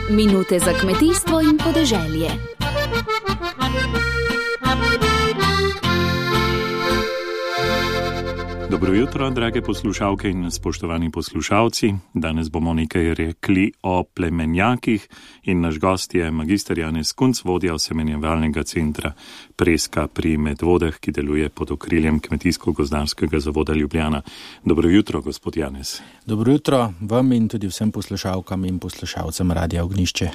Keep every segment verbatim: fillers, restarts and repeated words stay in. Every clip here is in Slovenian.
Minute za kmetijstvo in podeželje. Dobro jutro, drage poslušalke in spoštovani poslušalci. Danes bomo nekaj rekli o plemenjakih in naš gost je magister Janez Kunc, vodja osemenjevalnega centra Preska pri Medvodah, ki deluje pod okriljem Kmetijsko-gozdarskega zavoda Ljubljana. Dobro jutro, gospod Janez. Dobro jutro vam in tudi vsem poslušalkam in poslušalcem Radia Ognjišče.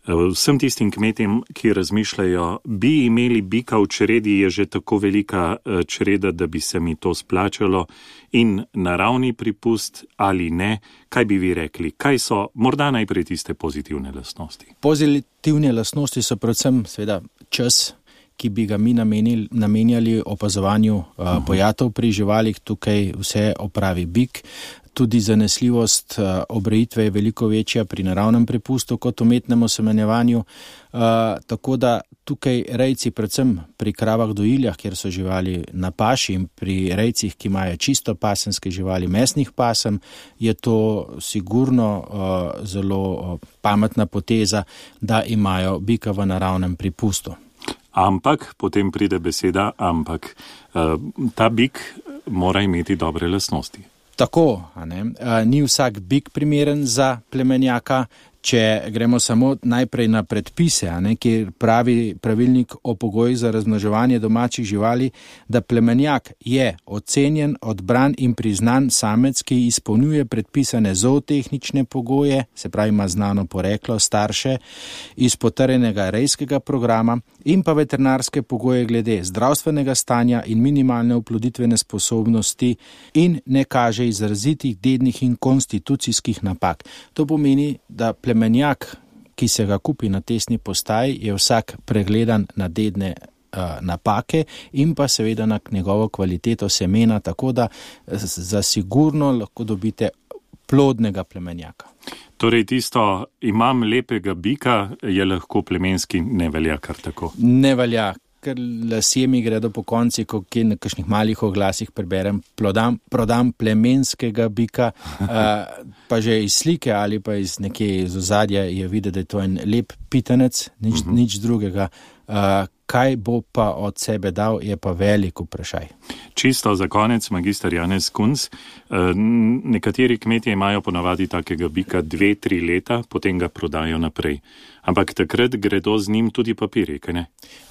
Vsem tistim kmetem, ki razmišljajo, bi imeli bika v čredi, je že tako velika čreda, da bi se mi to splačalo, in naravni pripust ali ne, kaj bi vi rekli? Kaj so morda najprej tiste pozitivne lastnosti? Pozitivne lastnosti so predvsem seveda čas, ki bi ga mi namenili, namenjali opazovanju uh, pojatov pri živalih. Tukaj vse opravi bik. Tudi zanesljivost uh, obrejitve je veliko večja pri naravnem prepustu kot umetnem osemenjevanju. Uh, tako da tukaj rejci, predvsem pri kravah dojiljah, kjer so živali na paši, in pri rejcih, ki imajo čisto pasemske živali, mesnih pasem, je to sigurno uh, zelo uh, pametna poteza, da imajo bika v naravnem prepustu. Ampak, potem pride beseda ampak. Uh, ta bik mora imeti dobre lastnosti. Tako, a ne? Ni vsak bik primeren za plemenjaka. Če gremo samo najprej na predpise, a ne, kjer pravi pravilnik o pogojih za razmnoževanje domačih živali, da plemenjak je ocenjen, odbran in priznan samec, ki izpolnjuje predpisane zootehnične pogoje, se pravi ima znano poreklo, starše, iz potrjenega rejskega programa in pa veterinarske pogoje glede zdravstvenega stanja in minimalne oploditvene sposobnosti in ne kaže izrazitih dednih in konstitucijskih napak. To pomeni, da plemenjak, ki se ga kupi na testni postaji, je vsak pregledan na dedne uh, napake in pa seveda na njegovo kvaliteto semena, tako da za sigurno lahko dobite plodnega plemenjaka. Torej tisto, imam lepega bika, je lahko plemenski, ne velja kar tako. Ne velja, ker lasje mi gredo po konci, ko kje na kakšnih malih oglasih preberem, plodam, prodam plemenskega bika, uh, pa že iz slike ali pa iz nekje iz ozadja je videti, da je to en lep pitanec, nič, uh-huh. nič drugega. Uh, kaj bo pa od sebe dal, je pa velik vprašaj. Čisto za konec, magister Janez Kunc, nekateri kmetje imajo ponavadi takega bika dve, tri leta, potem ga prodajo naprej. Ampak takrat gredo z njim tudi papirji, kaj ne?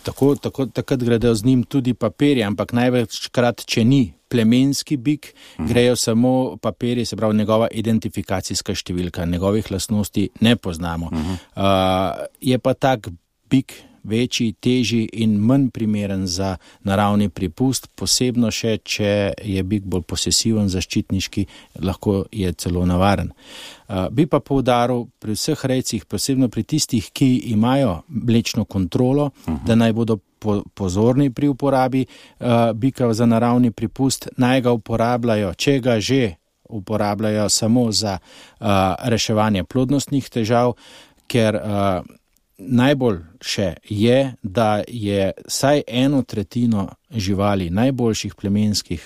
Tako, tako, takrat gredo z njim tudi papirji, ampak največkrat, če ni plemenski bik, uh-huh. grejo samo papirji, se pravi njegova identifikacijska številka, njegovih lastnosti ne poznamo. Uh-huh. Uh, je pa tak bik večji, težji in manj primeren za naravni pripust, posebno še, če je bik bolj posesiven, zaščitniški, lahko je celo navaren. Uh, bi pa poudaril pri vseh rejcih, posebno pri tistih, ki imajo mlečno kontrolo, uh-huh. da naj bodo po, pozorni pri uporabi uh, bika za naravni pripust, naj ga uporabljajo, če ga že uporabljajo samo za uh, reševanje plodnostnih težav, ker uh, najbolj še je, da je vsaj eno tretjino živali, najboljših plemenskih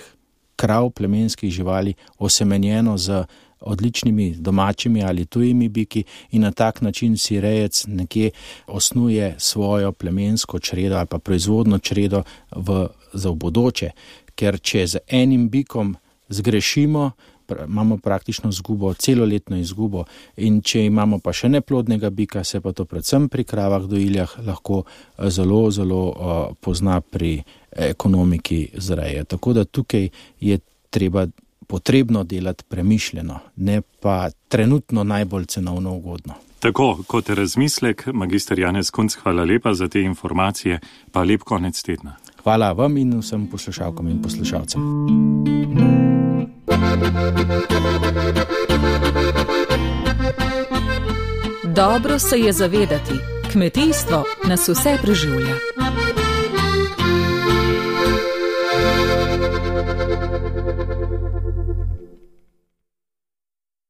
krav, plemenskih živali, osemenjeno z odličnimi domačimi ali tujimi biki in na tak način si rejec nekje osnuje svojo plemensko čredo ali pa proizvodno čredo v, za v bodoče. Ker če z enim bikom zgrešimo, imamo praktično izgubo, celoletno izgubo, in če imamo pa še neplodnega bika, se pa to predvsem pri kravah dojiljah lahko zelo, zelo uh, pozna pri ekonomiki zreje. Tako da tukaj je treba potrebno delati premišljeno, ne pa trenutno najbolj cenovno ugodno. Tako, kot razmislek, magister Janez Kunc, hvala lepa za te informacije, pa lep konec tedna. Hvala vam in vsem poslušalkam in poslušalcem. Dobro se je zavedati, kmetijstvo nas vse preživlja.